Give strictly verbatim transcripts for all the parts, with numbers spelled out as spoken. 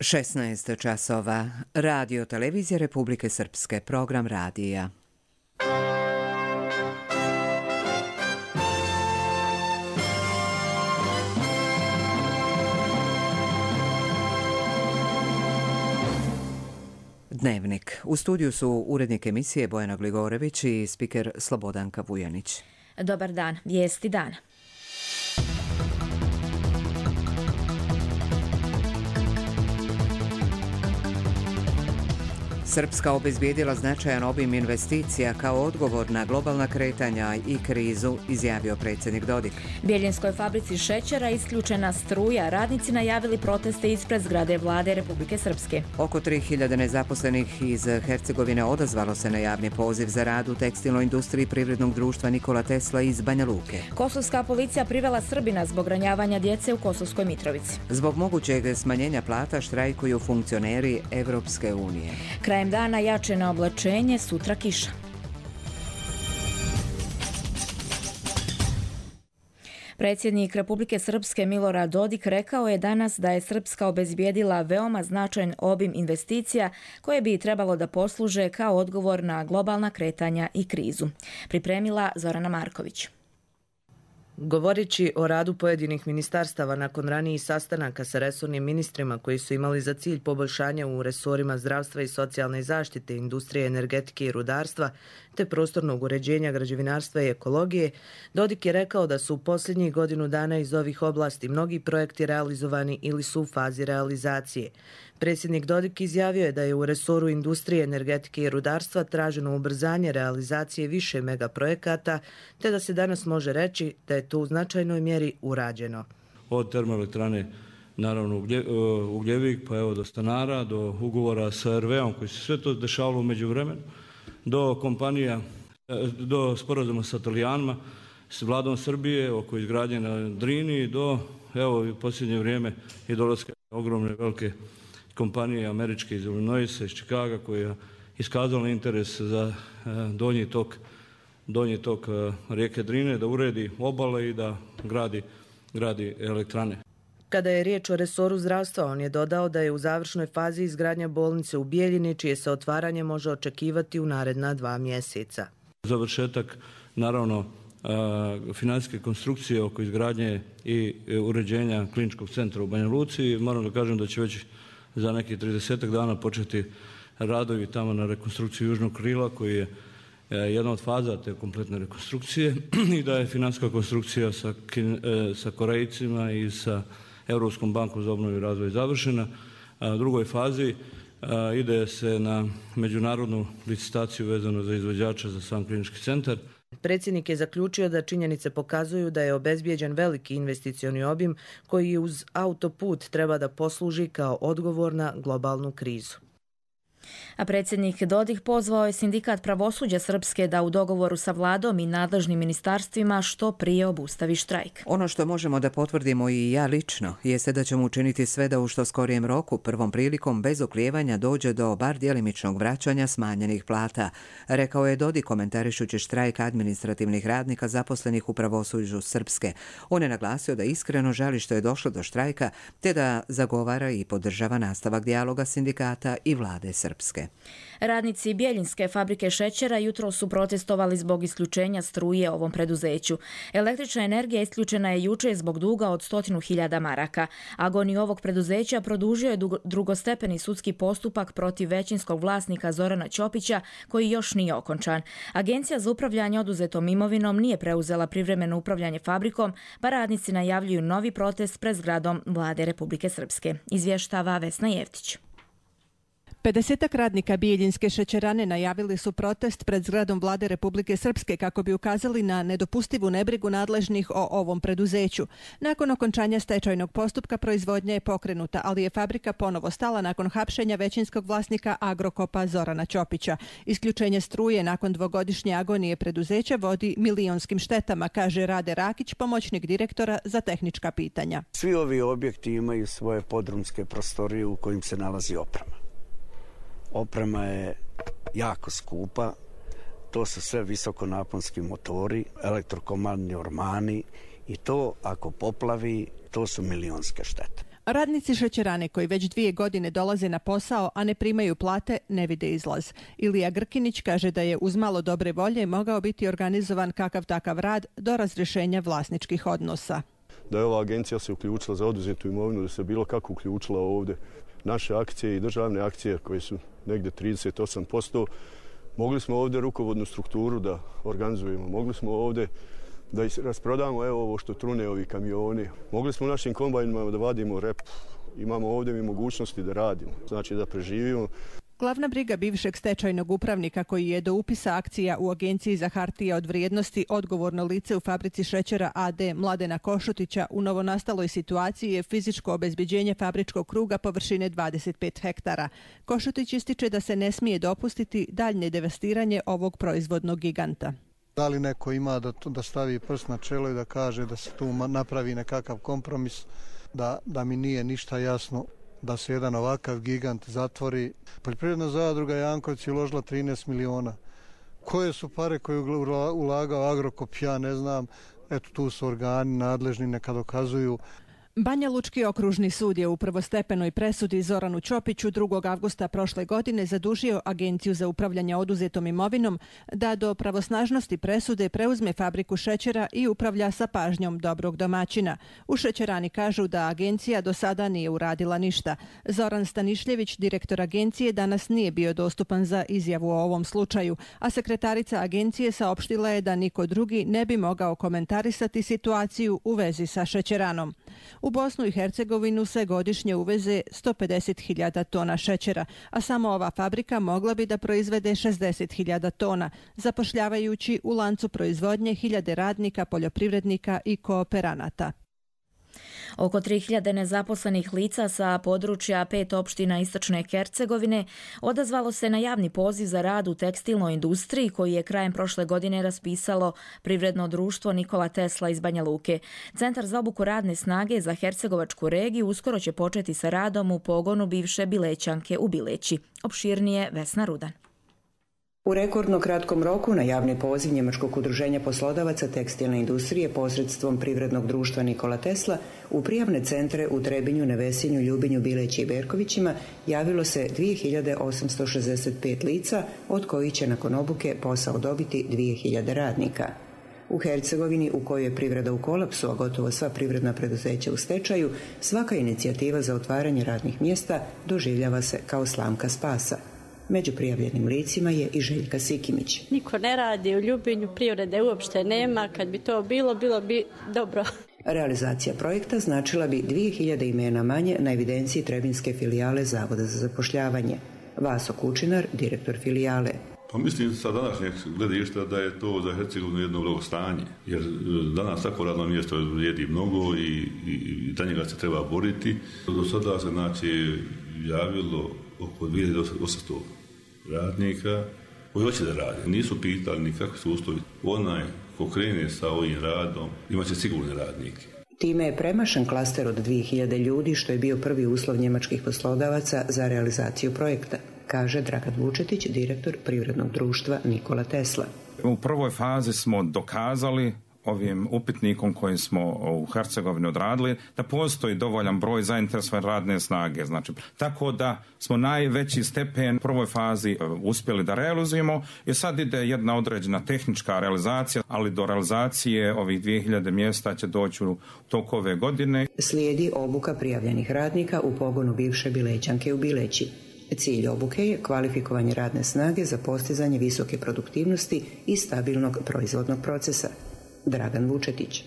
šesnaest časova. Radio Televizija Republike Srpske. Program radija. Dnevnik. U studiju su urednik emisije Bojana Gligorević i spiker Slobodanka Vujanić. Dobar dan. Vijesti dana. Srpska obezbijedila značajan obim investicija kao odgovor na globalna kretanja i krizu, izjavio predsjednik Dodik. Bjeljinskoj fabrici šećera isključena struja. Radnici najavili proteste ispred zgrade vlade Republike Srpske. Oko tri hiljade nezaposlenih iz Hercegovine odazvalo se na javni poziv za rad u tekstilnoj industriji privrednog društva Nikola Tesla iz Banja Luke. Kosovska policija privela Srbina zbog ranjavanja djece u Kosovskoj Mitrovici. Zbog mogućeg smanjenja plata štrajkuju funkcioneri Evropske unije. Krajem dana jače na oblačenje, sutra kiša. Predsjednik Republike Srpske Milorad Dodik rekao je danas da je Srpska obezbijedila veoma značajan obim investicija koje bi trebalo da posluže kao odgovor na globalna kretanja i krizu. Pripremila Zorana Marković. Govoreći o radu pojedinih ministarstava nakon ranijih sastanaka sa resornim ministrima koji su imali za cilj poboljšanja u resorima zdravstva i socijalne zaštite, industrije, energetike i rudarstva, te prostornog uređenja, građevinarstva i ekologije, Dodik je rekao da su u posljednjih godinu dana iz ovih oblasti mnogi projekti realizovani ili su u fazi realizacije. Predsjednik Dodik izjavio je da je u resoru industrije, energetike i rudarstva traženo ubrzanje realizacije više megaprojekata, te da se danas može reći da je to u značajnoj mjeri urađeno. Od termoelektrane, naravno Ugljevik, pa evo do stanara, do ugovora sa er ve om koji se sve to dešavalo u međuvremenu, do kompanija, do sporazuma sa Italijanima, s vladom Srbije oko izgradnje na Drini, do evo u posljednje vrijeme i dolaska ogromne velike kompanije američke iz Illinoisa, iz Čikaga, koja je iskazala interes za donji tok, donji tok rijeke Drine, da uredi obale i da gradi, gradi elektrane. Kada je riječ o resoru zdravstva, on je dodao da je u završnoj fazi izgradnja bolnice u Bijeljini, čije se otvaranje može očekivati u naredna dva mjeseca. Završetak, naravno, financijske konstrukcije oko izgradnje i uređenja kliničkog centra u Banja Luci. Moram da kažem da će već za nekih tridesetak dana početi radovi tamo na rekonstrukciju južnog krila, koji je jedna od faza te kompletne rekonstrukcije, i da je financijska konstrukcija sa, sa Korejcima i sa Europskom bankom za obnovu i razvoj završena. U drugoj fazi ide se na međunarodnu licitaciju vezano za izvođača za sam klinički centar. Predsjednik je zaključio da činjenice pokazuju da je obezbijeđen veliki investicioni obim koji uz autoput treba da posluži kao odgovor na globalnu krizu. A predsjednik Dodik pozvao je sindikat pravosuđa Srpske da u dogovoru sa vladom i nadležnim ministarstvima što prije obustavi štrajk. Ono što možemo da potvrdimo i ja lično jeste da ćemo učiniti sve da u što skorijem roku, prvom prilikom, bez oklijevanja dođe do bar djelimičnog vraćanja smanjenih plata, rekao je Dodik komentarišući štrajk administrativnih radnika zaposlenih u pravosuđu Srpske. On je naglasio da iskreno žali što je došlo do štrajka, te da zagovara i podržava nastavak dijaloga sindikata i vlade Srpske. Radnici Bjeljinske fabrike šećera jutro su protestovali zbog isključenja struje ovom preduzeću. Električna energija isključena je jučer zbog duga od stotinu hiljada maraka. Agoniju ovog preduzeća produžio je drugostepeni sudski postupak protiv većinskog vlasnika Zorana Ćopića, koji još nije okončan. Agencija za upravljanje oduzetom imovinom nije preuzela privremeno upravljanje fabrikom, pa radnici najavljuju novi protest pred zgradom vlade Republike Srpske. Izvještava Vesna Jevtić. pedesetak radnika Bijeljinske šećerane najavili su protest pred zgradom vlade Republike Srpske kako bi ukazali na nedopustivu nebrigu nadležnih o ovom preduzeću. Nakon okončanja stečajnog postupka proizvodnja je pokrenuta, ali je fabrika ponovo stala nakon hapšenja većinskog vlasnika Agrokopa Zorana Ćopića. Isključenje struje nakon dvogodišnje agonije preduzeća vodi milionskim štetama, kaže Rade Rakić, pomoćnik direktora za tehnička pitanja. Svi ovi objekti imaju svoje podrumske prostorije u kojim se nalazi oprema. Oprema je jako skupa, to su sve visokonaponski motori, elektrokomandni ormani i to ako poplavi, to su milionske štete. Radnici šećerane koji već dvije godine dolaze na posao, a ne primaju plate, ne vide izlaz. Ilija Grkinić kaže da je uz malo dobre volje mogao biti organizovan kakav takav rad do razrješenja vlasničkih odnosa. Da je ova agencija se uključila za oduzetu imovinu, da se bilo kako uključila ovdje. Naše akcije i državne akcije koje su negdje trideset osam posto, mogli smo ovdje rukovodnu strukturu da organizujemo, mogli smo ovdje da rasprodamo evo ovo što trune ovi kamioni. Mogli smo u našim kombajnima da vadimo rep. Imamo ovdje i mogućnosti da radimo, znači da preživimo. Glavna briga bivšeg stečajnog upravnika koji je do upisa akcija u Agenciji za hartije od vrijednosti odgovorno lice u fabrici šećera A D Mladena Košutića u novonastaloj situaciji je fizičko obezbeđenje fabričkog kruga površine dvadeset pet hektara. Košutić ističe da se ne smije dopustiti daljnje devastiranje ovog proizvodnog giganta. Da li neko ima da, da stavi prst na čelo i da kaže da se tu napravi nekakav kompromis, da, da mi nije ništa jasno da se jedan ovakav gigant zatvori. Poljoprivredna zadruga Jankovci je uložila trinaest miliona. Koje su pare koje je ulagao Agrokop, ja ne znam. Eto, tu su organi nadležni, neka dokazuju. Banja Lučki okružni sud je u prvostepenoj presudi Zoranu Ćopiću drugog avgusta prošle godine zadužio Agenciju za upravljanje oduzetom imovinom da do pravosnažnosti presude preuzme fabriku šećera i upravlja sa pažnjom dobrog domaćina. U šećerani kažu da agencija do sada nije uradila ništa. Zoran Stanišljević, direktor agencije, danas nije bio dostupan za izjavu o ovom slučaju, a sekretarica agencije saopštila je da niko drugi ne bi mogao komentarisati situaciju u vezi sa šećeranom. U Bosnu i Hercegovinu se godišnje uveze sto pedeset hiljada tona šećera, a samo ova fabrika mogla bi da proizvede šezdeset hiljada tona, zapošljavajući u lancu proizvodnje hiljade radnika, poljoprivrednika i kooperanata. Oko tri hiljade nezaposlenih lica sa područja pet opština istočne Hercegovine odazvalo se na javni poziv za rad u tekstilnoj industriji koji je krajem prošle godine raspisalo privredno društvo Nikola Tesla iz Banja Luke. Centar za obuku radne snage za Hercegovačku regiju uskoro će početi sa radom u pogonu bivše Bilećanke u Bileći. Opširnije Vesna Rudan. U rekordno kratkom roku na javni poziv Njemačkog udruženja poslodavaca tekstilne industrije posredstvom privrednog društva Nikola Tesla u prijavne centre u Trebinju, Nevesinju, Ljubinju, Bileći i Berkovićima javilo se dvije hiljade osamsto šezdeset pet lica, od kojih će nakon obuke posao dobiti dvije hiljade radnika. U Hercegovini, u kojoj je privreda u kolapsu, a gotovo sva privredna preduzeća u stečaju, svaka inicijativa za otvaranje radnih mjesta doživljava se kao slamka spasa. Među prijavljenim licima je i Željka Sikimić. Niko ne radi u Ljubinju, privrede uopšte nema, kad bi to bilo, bilo bi dobro. Realizacija projekta značila bi dvije hiljade imena manje na evidenciji trebinske filijale Zavoda za zapošljavanje. Vaso Kučinar, direktor filijale. Pa mislim sa današnjeg gledišta da je to za Hercegovinu jedno blagostanje, jer danas tako radno mjesto vrijedi mnogo i, i, i za njega se treba boriti. Do sada se znači javilo oko dvije hiljade osamsto radnika koji hoće da rade. Nisu pitali ni kakvi su uslovi. Onaj ko krene sa ovim radom imaće sigurne radnike. Time je premašen klaster od dvije hiljade ljudi, što je bio prvi uslov njemačkih poslodavaca za realizaciju projekta, kaže Dragan Vučetić, direktor privrednog društva Nikola Tesla. U prvoj fazi smo dokazali ovim upitnikom kojim smo u Hercegovini odradili, da postoji dovoljan broj zainteresovane radne snage. Znači, tako da smo najveći stepen u prvoj fazi uspjeli da realizujemo i sad ide jedna određena tehnička realizacija, ali do realizacije ovih dvije hiljade mjesta će doći u toku ove godine. Slijedi obuka prijavljenih radnika u pogonu bivše Bilećanke u Bileći. Cilj obuke je kvalifikovanje radne snage za postizanje visoke produktivnosti i stabilnog proizvodnog procesa. Dragan Vučetić.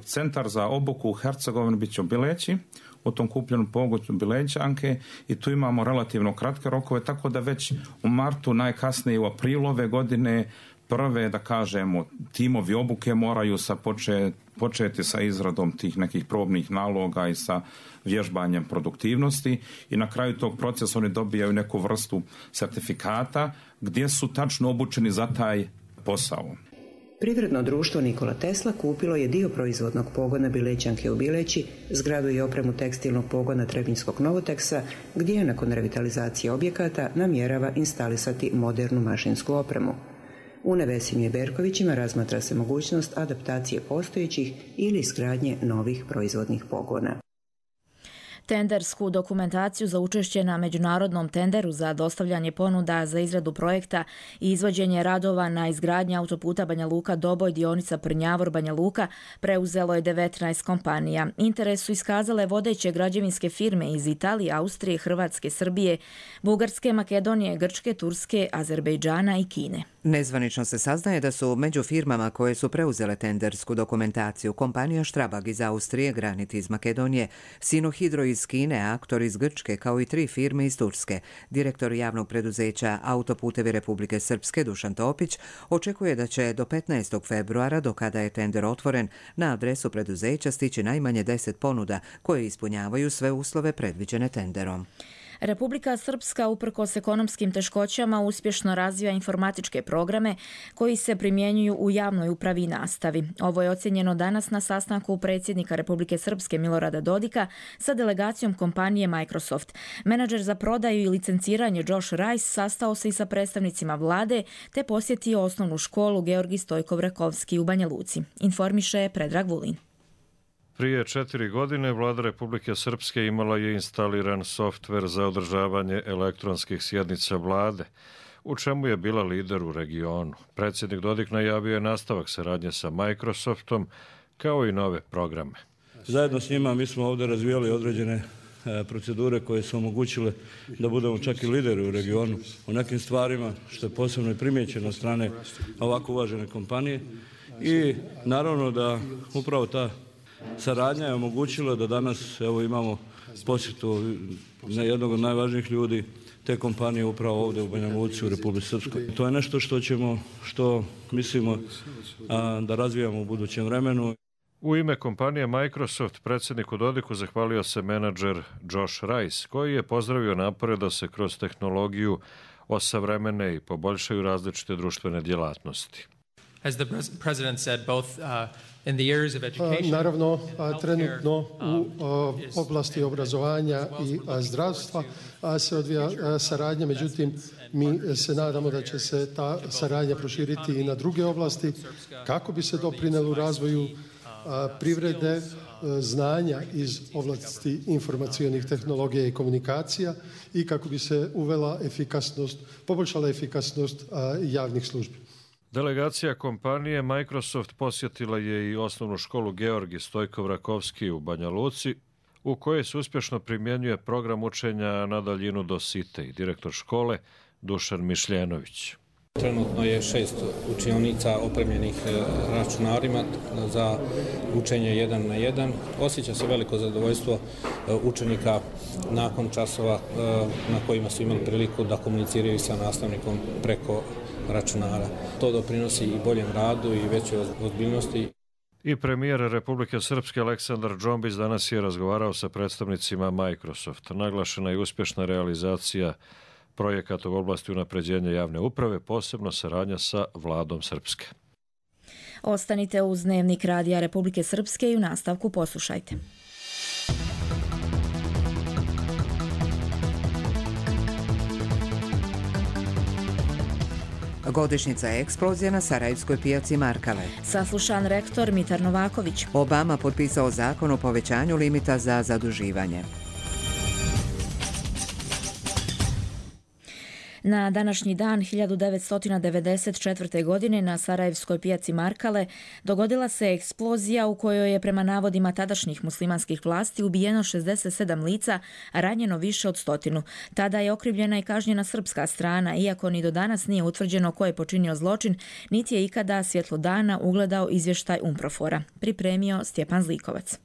Centar za obuku u Hercegovini bit će u Bileći, u tom kupljenom pogonu Bilećanke, i tu imamo relativno kratke rokove, tako da već u martu, najkasnije u aprilu ove godine, prve, da kažemo, timovi obuke moraju sa početi, početi sa izradom tih nekih probnih naloga i sa vježbanjem produktivnosti, i na kraju tog procesa oni dobijaju neku vrstu sertifikata gdje su tačno obučeni za taj posao. Privredno društvo Nikola Tesla kupilo je dio proizvodnog pogona Bilećanke u Bileći, zgradu i opremu tekstilnog pogona Trebinskog Novoteksa, gdje je nakon revitalizacije objekata namjerava instalisati modernu mašinsku opremu. U Nevesinju i Berkovićima razmatra se mogućnost adaptacije postojećih ili izgradnje novih proizvodnih pogona. Tendersku dokumentaciju za učešće na međunarodnom tenderu za dostavljanje ponuda za izradu projekta i izvođenje radova na izgradnji autoputa Banja Luka-Doboj dionica Prnjavor-Banja Luka preuzelo je devetnaest kompanija. Interes su iskazale vodeće građevinske firme iz Italije, Austrije, Hrvatske, Srbije, Bugarske, Makedonije, Grčke, Turske, Azerbejdžana i Kine. Nezvanično se saznaje da su među firmama koje su preuzele tendersku dokumentaciju kompanija Štrabag iz Austrije, Granit iz Makedonije, Sinohidro iz Kine, Aktor iz Grčke, kao i tri firme iz Turske. Direktor javnog preduzeća Autoputevi Republike Srpske Dušan Topić očekuje da će do petnaestog februara, do kada je tender otvoren, na adresu preduzeća stići najmanje deset ponuda koje ispunjavaju sve uslove predviđene tenderom. Republika Srpska, uprkos ekonomskim teškoćama, uspješno razvija informatičke programe koji se primjenjuju u javnoj upravi i nastavi. Ovo je ocjenjeno danas na sastanku predsjednika Republike Srpske Milorada Dodika sa delegacijom kompanije Microsoft. Menadžer za prodaju i licenciranje Josh Rice sastao se i sa predstavnicima vlade te posjetio osnovnu školu Georgi Stojkov-Rakovski u Banja Luci. Informiše Predrag Vulin. Prije četiri godine vlada Republike Srpske imala je instaliran softver za održavanje elektronskih sjednica vlade, u čemu je bila lider u regionu. Predsjednik Dodik najavio je nastavak saradnje sa Microsoftom, kao i nove programe. Zajedno s njima mi smo ovdje razvijali određene procedure koje su omogućile da budemo čak i lideri u regionu u nekim stvarima, što je posebno i primijećeno od strane ovako uvažene kompanije. I naravno da upravo ta saradnja je omogućila da danas evo, imamo posjetu jednog od najvažnijih ljudi te kompanije upravo ovdje u Banja Luci u Republici Srpskoj. To je nešto što ćemo, što mislimo a, da razvijamo u budućem vremenu. U ime kompanije Microsoft predsjedniku Dodiku zahvalio se menadžer Josh Rice, koji je pozdravio napore da se kroz tehnologiju osavremene i poboljšaju različite društvene djelatnosti. As the president said, both uh, in the areas of education, naravno, trenutno u oblasti obrazovanja i zdravstva se odvija saradnja, međutim mi se nadamo da će se ta saradnja proširiti i na druge oblasti kako bi se doprinelo u razvoju privrede, znanja iz oblasti informacionih tehnologija i komunikacija i kako bi se uvela efikasnost, poboljšala efikasnost javnih službi. Delegacija kompanije Microsoft posjetila je i osnovnu školu Georgi Stojkov-Rakovski u Banja Luci, u kojoj se uspješno primjenjuje program učenja na daljinu do site i direktor škole Dušan Mišljenović. Trenutno je šest učionica opremljenih računarima za učenje jedan na jedan. Osjeća se veliko zadovoljstvo učenika nakon časova na kojima su imali priliku da komuniciraju sa nastavnikom preko računara. To doprinosi i boljem radu i većoj ozbiljnosti. I premijer Republike Srpske Aleksandar Džombić danas je razgovarao sa predstavnicima Microsoft. Naglašena je uspješna realizacija projekata u oblasti unapređenja javne uprave, posebno saradnja sa vladom Srpske. Ostanite uz Dnevnik Radija Republike Srpske i u nastavku poslušajte. Godišnjica eksplozije na Sarajevskoj pijaci Markale. Saslušan rektor Mitar Novaković. Obama potpisao zakon o povećanju limita za zaduživanje. Na današnji dan hiljadu devetsto devedeset četvrte. godine na Sarajevskoj pijaci Markale dogodila se eksplozija u kojoj je prema navodima tadašnjih muslimanskih vlasti ubijeno šezdeset sedam lica, a ranjeno više od stotinu. Tada je okrivljena i kažnjena srpska strana, iako ni do danas nije utvrđeno ko je počinio zločin, niti je ikada svjetlo dana ugledao izvještaj UNPROFOR-a. Pripremio Stjepan Zlikovac.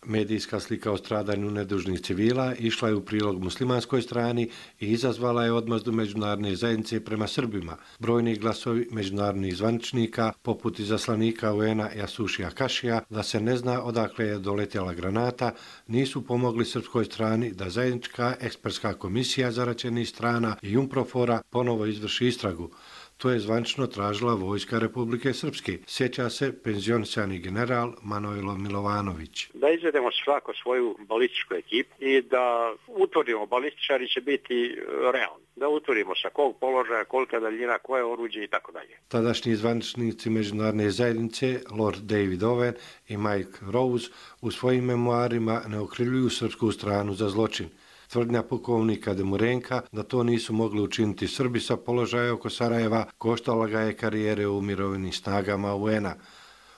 Medijska slika o stradanju nedužnih civila išla je u prilog muslimanskoj strani i izazvala je odmazdu međunarodne zajednice prema Srbima. Brojni glasovi međunarodnih zvaničnika, poput izaslanika U N-a Jasušija Kašija, da se ne zna odakle je doletjela granata, nisu pomogli srpskoj strani da zajednička ekspertska komisija zaraćenih strana i UNPROFOR-a ponovo izvrši istragu. To je zvančno tražila vojska Republike Srpske. Sjeća se penzionisani general Manojlo Milovanović. Da izvedemo svako svoju balističku ekipu i da utvrdimo, balističari će biti realni. Da utvrdimo sa kog položaja, kolika daljina, koje oruđe i tako dalje. Tadašnji zvaničnici međunarodne zajednice, Lord David Owen i Mike Rose, u svojim memoarima ne okrivljuju srpsku stranu za zločin. Tvrdnja pukovnika Demurenka da to nisu mogli učiniti Srbi sa položaja oko Sarajeva koštala ga je karijere u mirovnim snagama U N-a.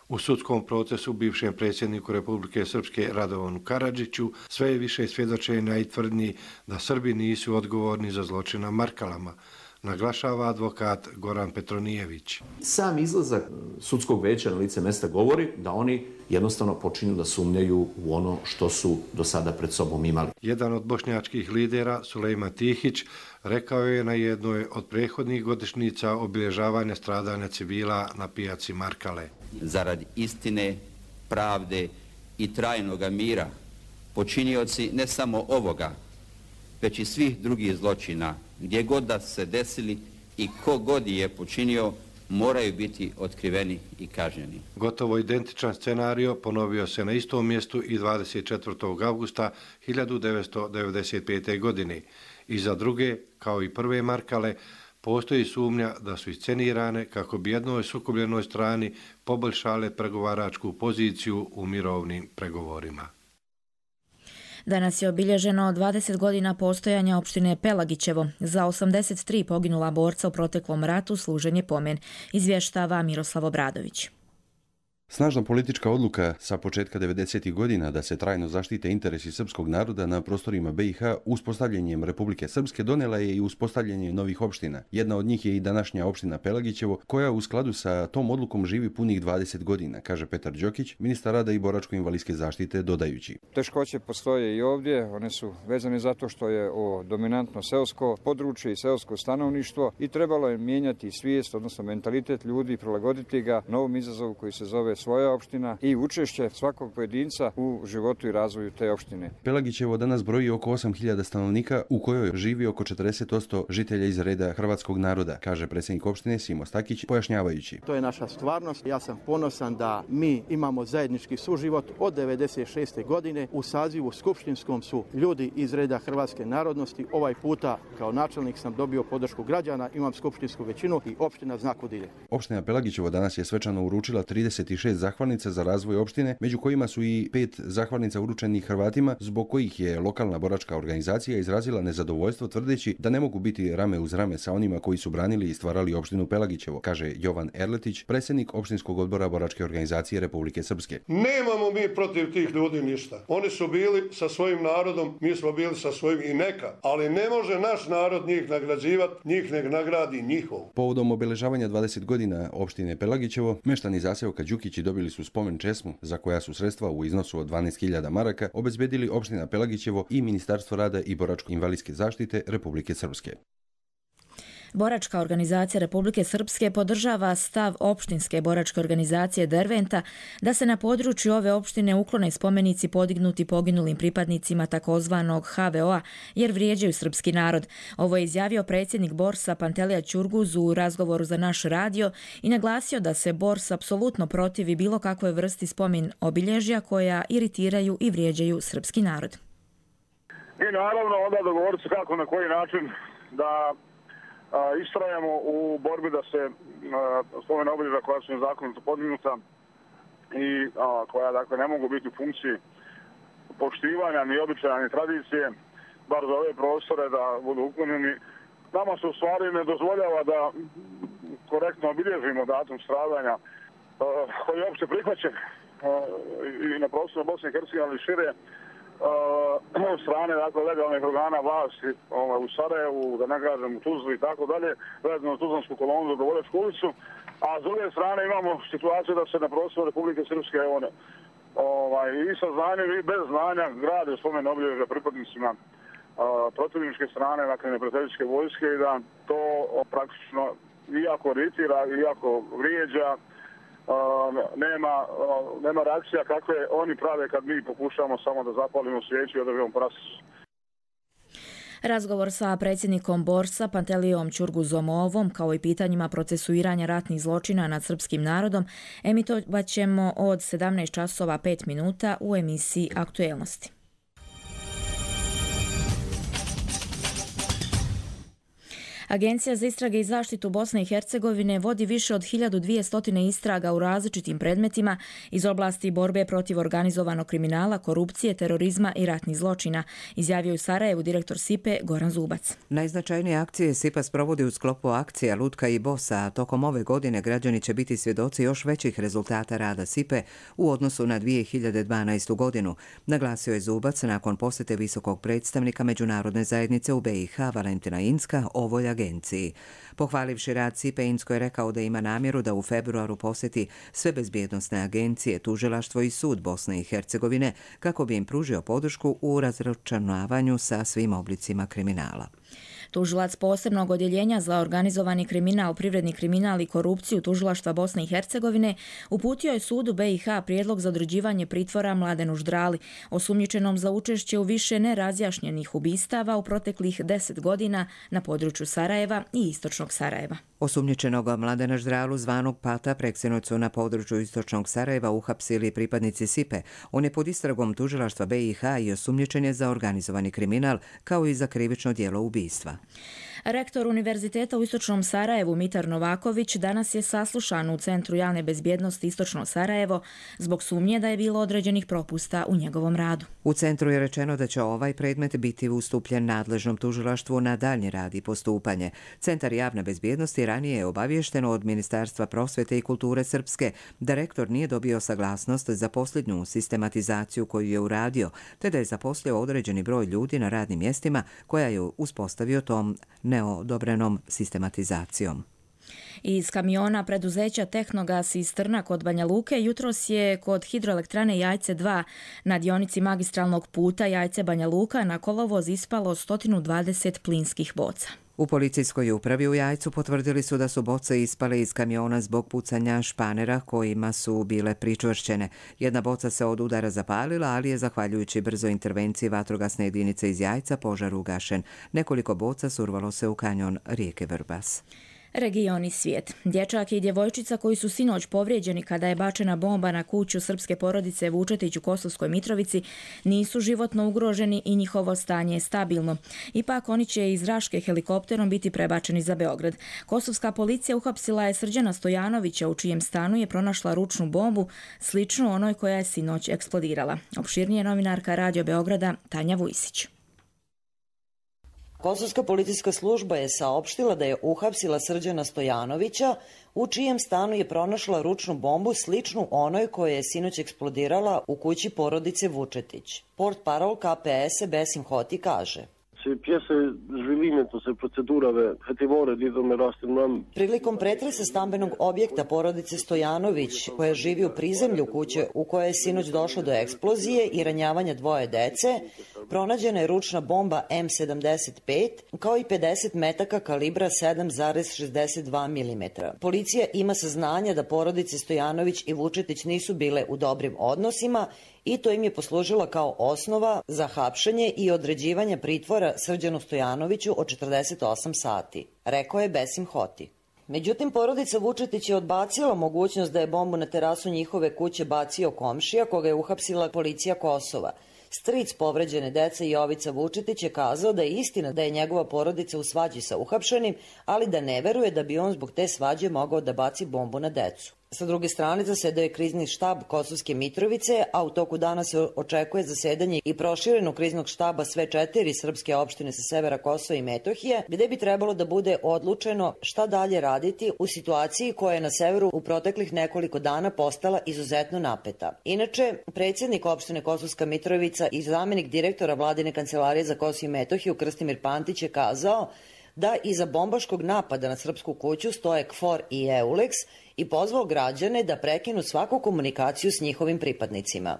U sudskom procesu bivšem predsjedniku Republike Srpske Radovanu Karadžiću sve je više svjedočenja i tvrdnji da Srbi nisu odgovorni za zločin na Markalama, naglašava advokat Goran Petronijević. Sam izlazak sudskog veća na lice mesta govori da oni jednostavno počinju da sumnjaju u ono što su do sada pred sobom imali. Jedan od bošnjačkih lidera, Sulejman Tihić, rekao je na jednoj od prethodnih godišnjica obilježavanja stradanja civila na pijaci Markale. Zarad istine, pravde i trajnog mira, počinioci ne samo ovoga, već i svih drugih zločina, gdje god da se desili i ko god je počinio, moraju biti otkriveni i kažnjeni. Gotovo identičan scenario ponovio se na istom mjestu i dvadeset četvrtog avgusta hiljadu devetsto devedeset pete. godine. I za druge, kao i prve Markale, postoji sumnja da su iscenirane kako bi jednoj sukobljenoj strani poboljšale pregovaračku poziciju u mirovnim pregovorima. Danas je obilježeno dvadeset godina postojanja opštine Pelagićevo. Za osamdeset tri poginula borca u proteklom ratu služen je pomen, izvještava Miroslav Obradović. Snažna politička odluka sa početka devedesetih godina da se trajno zaštite interesi srpskog naroda na prostorima B i H uspostavljanjem Republike Srpske donela je i uspostavljanje novih opština. Jedna od njih je i današnja opština Pelagićevo, koja u skladu sa tom odlukom živi punih dvadeset godina, kaže Petar Đokić, ministar rada i boračko-invalidske zaštite, dodajući. Teškoće postoje i ovdje, one su vezane zato što je ovo dominantno seosko područje i seosko stanovništvo i trebalo je mijenjati svijest, odnosno mentalitet ljudi i prilagoditi ga novom izazovu koji se zove svoja opština i učešće svakog pojedinca u životu i razvoju te opštine. Pelagićevo danas broji oko osam hiljada stanovnika, u kojoj živi oko četrdeset posto žitelja iz reda hrvatskog naroda, kaže predsjednik opštine Simo Stakić, pojašnjavajući. To je naša stvarnost. Ja sam ponosan da mi imamo zajednički suživot od devedeset šeste. godine. U sazivu skupštinskom su ljudi iz reda hrvatske narodnosti. Ovaj puta kao načelnik sam dobio podršku građana, imam skupštinsku većinu i opština zna kud ide. Opština Pelagićevo danas je svečano uručila trideset šest zahvalnica za razvoj opštine, među kojima su i pet zahvalnica uručenih Hrvatima, zbog kojih je lokalna boračka organizacija izrazila nezadovoljstvo tvrdeći da ne mogu biti rame uz rame sa onima koji su branili i stvarali opštinu Pelagićevo, kaže Jovan Erletić, predsjednik opštinskog odbora boračke organizacije Republike Srpske. Nemamo mi protiv tih ljudi ništa. Oni su bili sa svojim narodom, mi smo bili sa svojim i neka, ali ne može naš narod njih nagrađivati, njih nek nagradi njihov. Povodom obeležavanja dvadeset godina opštine Pelagićevo, meštani zaseoka Đukići dobili su spomen česmu za koja su sredstva u iznosu od dvanaest hiljada maraka obezbedili opština Pelagićevo i Ministarstvo rada i boračko-invalidske zaštite Republike Srpske. Boračka organizacija Republike Srpske podržava stav opštinske boračke organizacije Derventa da se na području ove opštine uklone spomenici podignuti poginulim pripadnicima takozvanog H V O-a jer vrijeđaju srpski narod. Ovo je izjavio predsjednik Borsa Pantelija Ćurguz u razgovoru za naš radio i naglasio da se Bors apsolutno protivi bilo kakvoj vrsti spomin obilježja koja iritiraju i vrijeđaju srpski narod. I naravno onda dogovoriti se kako na koji način da istrajamo u borbi da se spomen obilježja koja su nezakonito podignuta i a, koja dakle ne mogu biti u funkciji poštivanja ni običaja ni tradicije, bar za ove prostore da budu uklonjeni. Nama se u stvari ne dozvoljava da korektno obilježimo datum stradanja a, koji je opće prihvaćen a, i na prostoru Bosne i Hercegovine ali šire Uh, strane dakle, legalnih organa vlasti ovaj, u Sarajevu, da ne kažem u Tuzli i tako dalje, vezano u Tuzlansku kolonu do Govorečku ulicu, a s druge strane imamo situaciju da se na prostoru Republike Srpske one, ovaj, i sa znanjem i bez znanja grade spomen obilježja pripadnicima uh, protivničke strane, dakle neprijateljske vojske i da to o, praktično iako iritira, iako vrijeđa, Uh, nema, uh, nema reakcija kakve oni prave kad mi pokušamo samo da zapalimo svijeću i održimo prasicu. Razgovor sa predsjednikom Borsa Pantelijom Ćurguzomovom kao i pitanjima procesuiranja ratnih zločina nad srpskim narodom emitovat ćemo od sedamnaest časova pet minuta u emisiji Aktuelnosti. Agencija za istrage i zaštitu Bosne i Hercegovine vodi više od hiljadu dvjesto istraga u različitim predmetima iz oblasti borbe protiv organizovanog kriminala, korupcije, terorizma i ratnih zločina, izjavio u Sarajevu direktor S I P E Goran Zubac. Najznačajnije akcije S I P A sprovodi u sklopu akcija Lutka i Bosa, a tokom ove godine građani će biti svjedoci još većih rezultata rada S I P E u odnosu na dvije hiljade dvanaestu. godinu, naglasio je Zubac nakon posjete visokog predstavnika Međunarodne zajednice u B i H Valentina Inzka ovoj agenciji. Pohvalivši rad S I P E, Inzko je rekao da ima namjeru da u februaru posjeti sve bezbjednosne agencije, tužilaštvo i sud Bosne i Hercegovine kako bi im pružio podršku u razračunavanju sa svim oblicima kriminala. Tužilac posebnog odjeljenja za organizovani kriminal, privredni kriminal i korupciju Tužilaštva Bosne i Hercegovine uputio je sudu B i H prijedlog za određivanje pritvora Mladenu Ždrali, osumnjičenom za učešće u više nerazjašnjenih ubistava u proteklih deset godina na području Sarajeva i istočnog Sarajeva. Osumnjičenog Mladena Ždralu, zvanog Pata, preksinoć su na području istočnog Sarajeva uhapsili pripadnici S I P E. On je pod istragom Tužilaštva B i H i osumnjičen je za organizovani kriminal kao i za krivično djelo ubistva. Rektor Univerziteta u Istočnom Sarajevu Mitar Novaković danas je saslušan u Centru javne bezbjednosti Istočno Sarajevo zbog sumnje da je bilo određenih propusta u njegovom radu. U centru je rečeno da će ovaj predmet biti ustupljen nadležnom tužilaštvu na daljnji rad i postupanje. Centar javne bezbjednosti ranije je obavješteno od Ministarstva prosvjete i kulture Srpske da rektor nije dobio saglasnost za posljednju sistematizaciju koju je uradio, te da je zaposlio određeni broj ljudi na radnim mjestima koja je uspostavio tom neodobrenom sistematizacijom. Iz kamiona preduzeća Tehnogas iz Trna kod Banja Luke jutros je kod hidroelektrane Jajce dva na dionici magistralnog puta Jajce Banja Luka na kolovoz ispalo sto dvadeset plinskih boca. U policijskoj upravi u Jajcu potvrdili su da su boce ispale iz kamiona zbog pucanja španera kojima su bile pričvršćene. Jedna boca se od udara zapalila, ali je zahvaljujući brzoj intervenciji vatrogasne jedinice iz Jajca požar ugašen. Nekoliko boca survalo se u kanjon rijeke Vrbas. Region i svijet. Dječak i djevojčica koji su sinoć povrijeđeni kada je bačena bomba na kuću srpske porodice Vučetić u Kosovskoj Mitrovici nisu životno ugroženi i njihovo stanje je stabilno. Ipak oni će iz Raške helikopterom biti prebačeni za Beograd. Kosovska policija uhapsila je Srđana Stojanovića u čijem stanu je pronašla ručnu bombu sličnu onoj koja je sinoć eksplodirala. Opširnije novinarka Radio Beograda Tanja Vujsić. Kosovska policijska služba je saopštila da je uhapsila Srđana Stojanovića, u čijem stanu je pronašla ručnu bombu sličnu onoj koja je sinoć eksplodirala u kući porodice Vučetić. Portparol K P S Besim Hoti kaže: Prilikom pretresa stambenog objekta porodice Stojanović, koja živi u prizemlju kuće u kojoj je sinoć došlo do eksplozije i ranjavanja dvoje dece, pronađena je ručna bomba M sedamdeset pet kao i pedeset metaka kalibra sedam zarez šezdeset dva milimetra. Policija ima saznanja da porodice Stojanović i Vučetić nisu bile u dobrim odnosima i to im je poslužilo kao osnova za hapšenje i određivanje pritvora Srđanu Stojanoviću od četrdeset osam sati, rekao je Besim Hoti. Međutim, porodica Vučetić je odbacila mogućnost da je bombu na terasu njihove kuće bacio komšija koga je uhapsila policija Kosova. Stric povređene dece Jovica Vučetić je kazao da je istina da je njegova porodica u svađi sa uhapšenim, ali da ne veruje da bi on zbog te svađe mogao da baci bombu na decu. Sa druge strane zasedao je krizni štab Kosovske Mitrovice, a u toku dana se očekuje zasedanje i proširenog kriznog štaba sve četiri srpske opštine sa severa Kosova i Metohije, gde bi trebalo da bude odlučeno šta dalje raditi u situaciji koja je na severu u proteklih nekoliko dana postala izuzetno napeta. Inače, predsjednik opštine Kosovska Mitrovica i zamenik direktora Vladine kancelarije za Kosovo i Metohiju Krstimir Pantić je kazao da iza bombaškog napada na srpsku kuću stoje KFOR i EULEX i pozvao građane da prekinu svaku komunikaciju s njihovim pripadnicima.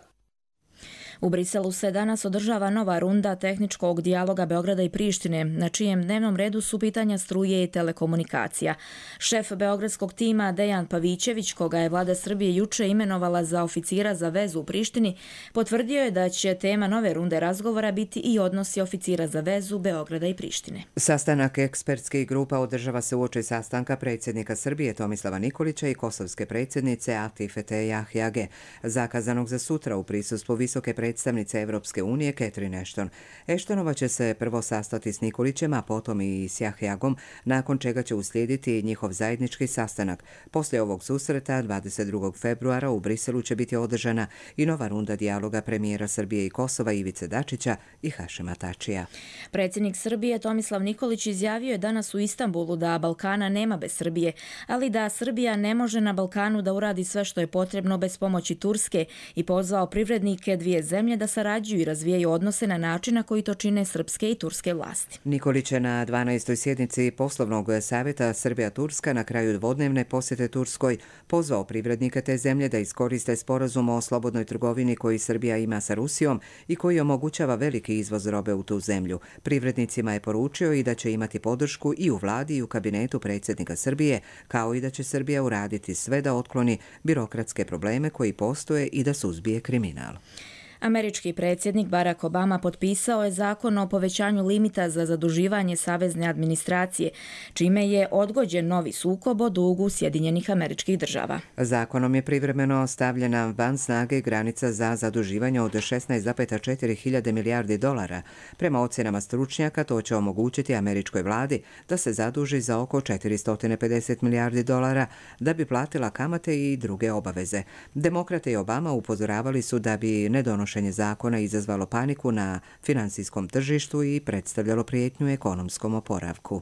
U Briselu se danas održava nova runda tehničkog dijaloga Beograda i Prištine, na čijem dnevnom redu su pitanja struje i telekomunikacija. Šef beogradskog tima Dejan Pavićević, koga je vlada Srbije juče imenovala za oficira za vezu u Prištini, potvrdio je da će tema nove runde razgovora biti i odnosi oficira za vezu Beograda i Prištine. Sastanak ekspertskih grupa održava se uoči sastanka predsjednika Srbije Tomislava Nikolića i kosovske predsjednice Atifete Jahjage, zakazanog za sutra u prisustvu visoke predstavnice Evropske unije Catherine Ashton. Ashtonova će se prvo sastati s Nikolićem, a potom i s Jahjagom, nakon čega će uslijediti njihov zajednički sastanak. Poslije ovog susreta, dvadeset drugog februara, u Briselu će biti održana i nova runda dijaloga premijera Srbije i Kosova Ivice Dačića i Hašima Tačija. Predsjednik Srbije Tomislav Nikolić izjavio je danas u Istanbulu da Balkana nema bez Srbije, ali da Srbija ne može na Balkanu da uradi sve što je potrebno bez pomoći Turske i pozvao privrednike dvije zemlje da sarađuju i razvijaju odnose na način na koji to čine srpske i turske vlasti. Nikolić je na dvanaestoj sjednici poslovnog savjeta Srbija-Turska na kraju dvodnevne posjete Turskoj pozvao privrednike te zemlje da iskoriste sporazum o slobodnoj trgovini koji Srbija ima sa Rusijom i koji omogućava veliki izvoz robe u tu zemlju. Privrednicima je poručio i da će imati podršku i u vladi i u kabinetu predsjednika Srbije, kao i da će Srbija uraditi sve da otkloni birokratske probleme koji postoje i da suzbije kriminal. Američki predsjednik Barack Obama potpisao je zakon o povećanju limita za zaduživanje savezne administracije, čime je odgođen novi sukob o dugu Sjedinjenih Američkih Država. Zakonom je privremeno stavljena van snage granica za zaduživanje od šesnaest zarez četiri hiljade milijardi dolara. Prema ocjenama stručnjaka, to će omogućiti američkoj vladi da se zaduži za oko četiristo pedeset milijardi dolara da bi platila kamate i druge obaveze. Demokrate i Obama upozoravali su da bi nedonošenje zakona izazvalo paniku na finansijskom tržištu i predstavljalo prijetnju ekonomskom oporavku.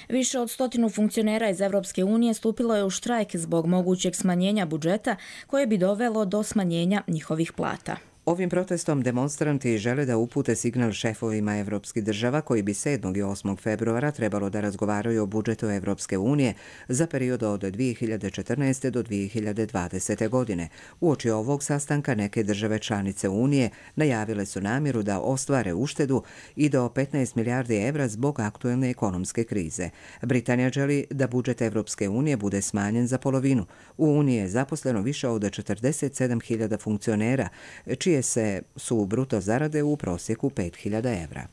Više od stotinu funkcionera iz Evropske unije stupilo je u štrajk zbog mogućeg smanjenja budžeta koje bi dovelo do smanjenja njihovih plata. Ovim protestom demonstranti žele da upute signal šefovima evropskih država koji bi sedmog i osmog februara trebalo da razgovaraju o budžetu Evropske unije za period od dvije hiljade četrnaeste. do dvije hiljade dvadesete. godine. Uoči ovog sastanka neke države članice Unije najavile su namjeru da ostvare uštedu i do petnaest milijardi evra zbog aktuelne ekonomske krize. Britanija želi da budžet Evropske unije bude smanjen za polovinu. U Uniji je zaposleno više od četrdeset sedam hiljada funkcionera, čije se su bruto zarade u prosjeku pet hiljada evra.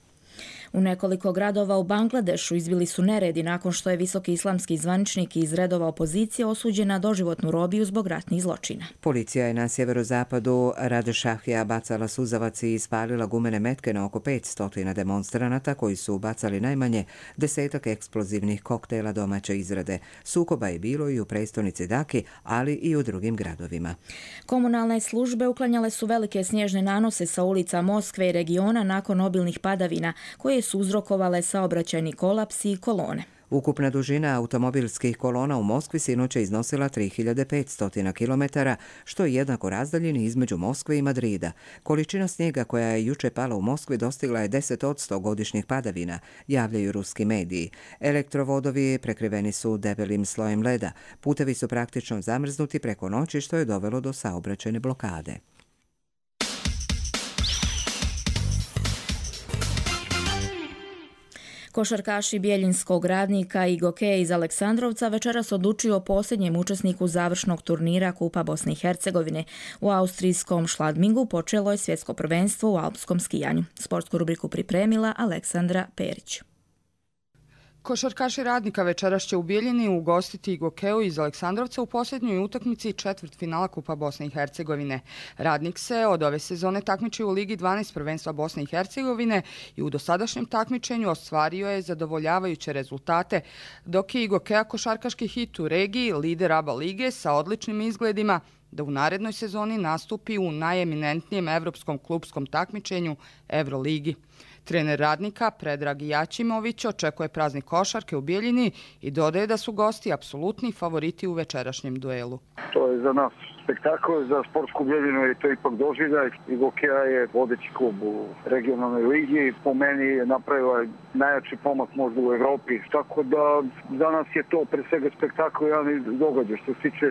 U nekoliko gradova u Bangladešu izbili su neredi nakon što je visoki islamski zvaničnik iz redova opozicije osuđen na doživotnu robiju zbog ratnih zločina. Policija je na sjeverozapadu Radešahija bacala suzavac i ispalila gumene metke na oko petsto demonstranata koji su bacali najmanje desetak eksplozivnih koktela domaće izrade. Sukoba je bilo i u prestonici Daki, ali i u drugim gradovima. Komunalne službe uklanjale su velike snježne nanose sa ulica Moskve i regiona nakon obilnih padavina koje su uzrokovale saobraćajni kolaps i kolone. Ukupna dužina automobilskih kolona u Moskvi sinoć je iznosila tri hiljade petsto kilometara, što je jednako razdaljini između Moskve i Madrida. Količina snijega koja je juče pala u Moskvi dostigla je deset posto godišnjih padavina, javljaju ruski mediji. Elektrovodovi prekriveni su debelim slojem leda. Putevi su praktično zamrznuti preko noći, što je dovelo do saobraćajne blokade. Košarkaši Bjeljinskog Radnika i Gokeja iz Aleksandrovca večeras odlučuju o posljednjem učesniku završnog turnira Kupa Bosne i Hercegovine. U austrijskom Šladmingu počelo je svjetsko prvenstvo u alpskom skijanju. Sportsku rubriku pripremila Aleksandra Perić. Košarkaši Radnika večeras će u Bijeljini ugostiti Gokeju iz Aleksandrovca u posljednjoj utakmici četvrtfinala Kupa Bosne i Hercegovine. Radnik se od ove sezone takmiči u Ligi dvanaest prvenstva Bosne i Hercegovine i u dosadašnjem takmičenju ostvario je zadovoljavajuće rezultate, dok je i Gokeja košarkaški hit u regiji, lider A B A lige sa odličnim izgledima, da u narednoj sezoni nastupi u najeminentnijem evropskom klupskom takmičenju Euroligi. Trener Radnika Predrag Jačimović očekuje praznik košarke u Bijeljini i dodaje da su gosti apsolutni favoriti u večerašnjem duelu. To je za nas spektakl, za sportsku Bijeljinu je to ipak doživljaj. I Gokeja je vodeći klub u regionalnoj ligi. Po meni je napravila najjači pomak možda u Evropi. Tako da za nas je to pre svega spektakl, jedan događaj što se tiče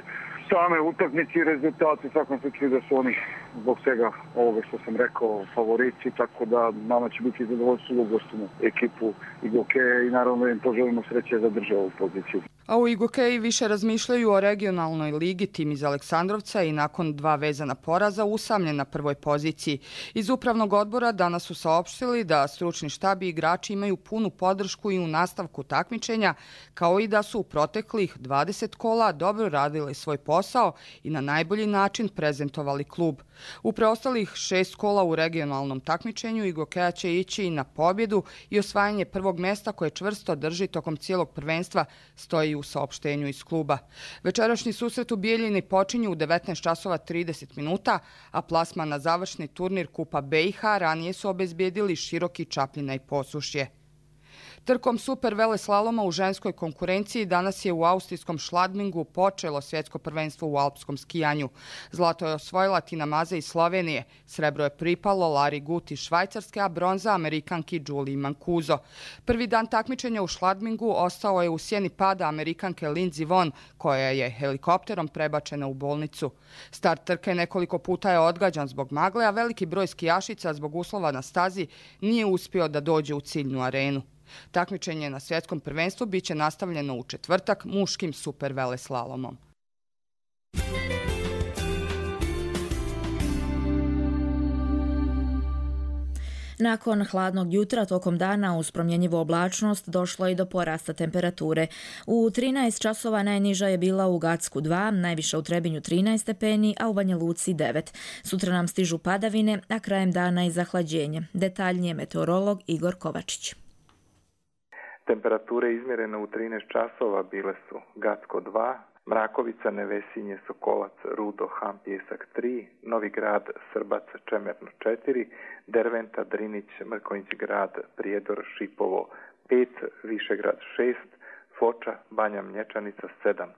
same utakmice i rezultate. U svakom slučaju da su oni zbog svega ovoga što sam rekao, favoriti, tako da nama će biti zadovoljstvo da ugostimo ekipu Igokeja i naravno im poželimo sreće da drže ovu poziciju. A u Igokeji više razmišljaju o regionalnoj ligi. Tim iz Aleksandrovca i nakon dva vezana poraza usamljen na prvoj poziciji. Iz upravnog odbora danas su saopštili da stručni štab i igrači imaju punu podršku i u nastavku takmičenja, kao i da su u proteklih dvadeset kola dobro radili svoj posao i na najbolji način prezentovali klub. U preostalih šest kola u regionalnom takmičenju Igokeja će ići i na pobjedu i osvajanje prvog mjesta koje čvrsto drži tokom cijelog prvenstva, stoji u saopštenju iz kluba. Večerašnji susret u Bijeljini počinju u devetnaest časova trideset minuta, a plasman na završni turnir Kupa B i H ranije su obezbijedili Široki, Čapljina i Posušje. Trkom super veleslaloma u ženskoj konkurenciji danas je u austrijskom Schladmingu počelo svjetsko prvenstvo u alpskom skijanju. Zlato je osvojila Tina Maze iz Slovenije, srebro je pripalo Lari Gut iz Švajcarske, a bronza Amerikanki Julie Mancuso. Prvi dan takmičenja u Schladmingu ostao je u sjeni pada Amerikanke Lindsey Vonn, koja je helikopterom prebačena u bolnicu. Start trke nekoliko puta je odgađan zbog magle, a veliki broj skijašica zbog uslova na stazi nije uspio da dođe u ciljnu arenu. Takmičenje na svjetskom prvenstvu biće nastavljeno u četvrtak muškim super veleslalomom. Nakon hladnog jutra tokom dana uz promjenjivu oblačnost došlo je do porasta temperature. U trinaest časova najniža je bila u Gacku dva, najviša u Trebinju trinaest stepeni, a u Banja Luci devet. Sutra nam stižu padavine, a krajem dana i zahlađenje. Detaljnije meteorolog Igor Kovačić. Temperature izmjerene u trinaest časova bile su Gacko dva, Mrakovica, Nevesinje, Sokolac, Rudo, Ham, Pjesak tri, Novi Grad, Srbac, Čemerno četiri, Derventa, Drinić, Mrkonjić Grad, Prijedor, Šipovo pet, Višegrad šest, Foča, Banja Mlječanica sedam,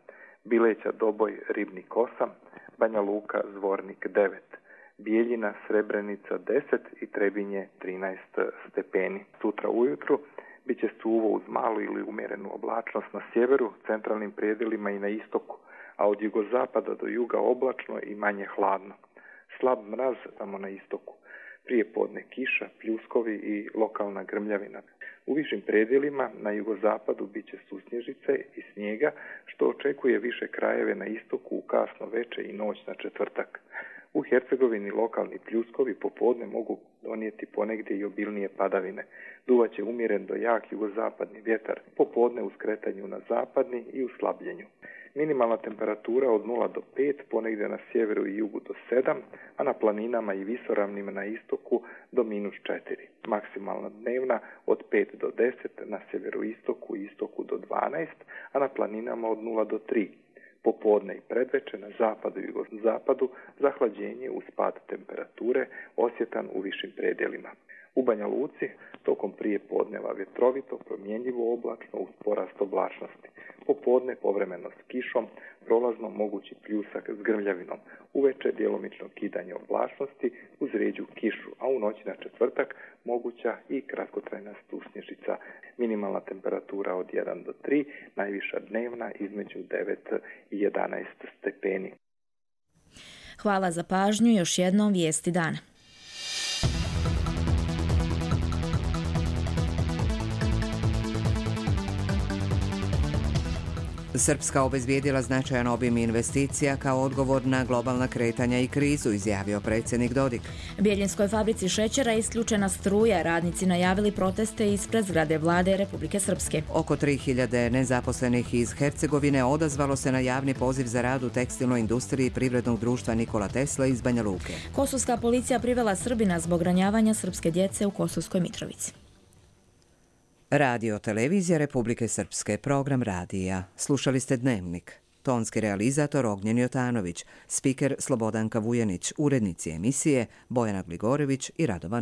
Bileća, Doboj, Ribnik osam, Banja Luka, Zvornik devet, Bijeljina, Srebrenica deset i Trebinje trinaest stepeni. Sutra ujutru biće suvo uz malu ili umjerenu oblačnost na sjeveru, centralnim predjelima i na istoku, a od jugozapada do juga oblačno i manje hladno. Slab mraz samo na istoku. Prije podne kiša, pljuskovi i lokalna grmljavina. U višim predjelima na jugozapadu biće susnježice i snijega, što očekuje više krajeve na istoku u kasno veče i noć na četvrtak. U Hercegovini lokalni pljuskovi popodne mogu donijeti ponegdje i obilnije padavine. Duvaće umjeren do jak jugozapadni vjetar, popodne u skretanju na zapadni i u slabljenju. Minimalna temperatura od nula do pet, ponegdje na sjeveru i jugu do sedam, a na planinama i visoravnima na istoku do minus četiri. Maksimalna dnevna od pet do deset, na sjeveroistoku i istoku do dvanaest, a na planinama od nula do tri. Popodne i predveče na zapadu i jugozapadu zahlađenje uz pad temperature osjetan u višim predjelima. U Banja Luci tokom prije podneva vjetrovito, promjenjivo oblačno uz porast oblačnosti. Popodne povremeno s kišom, prolazno mogući pljusak s grmljavinom. Uveče djelomično kidanje oblačnosti uz rijeđu kišu, a u noći na četvrtak moguća i kratkotrajna susnježica. Minimalna temperatura od jedan do tri, najviša dnevna između devet i jedanaest stepeni. Hvala za pažnju, još jednom vijesti dana. Srpska obezbijedila značajan obim investicija kao odgovor na globalna kretanja i krizu, izjavio predsjednik Dodik. Bijeljinskoj fabrici šećera isključena struja, radnici najavili proteste ispred zgrade vlade Republike Srpske. Oko tri hiljade nezaposlenih iz Hercegovine odazvalo se na javni poziv za rad u tekstilnoj industriji privrednog društva Nikola Tesla iz Banja Luke. Kosovska policija privela Srbina zbog ranjavanja srpske djece u Kosovskoj Mitrovici. Radio televizija Republike Srpske, program radija. Slušali ste Dnevnik. Tonski realizator Ognjen Jotanović, spiker Slobodanka Vujanić, urednici emisije Bojana Gligorević i Radovan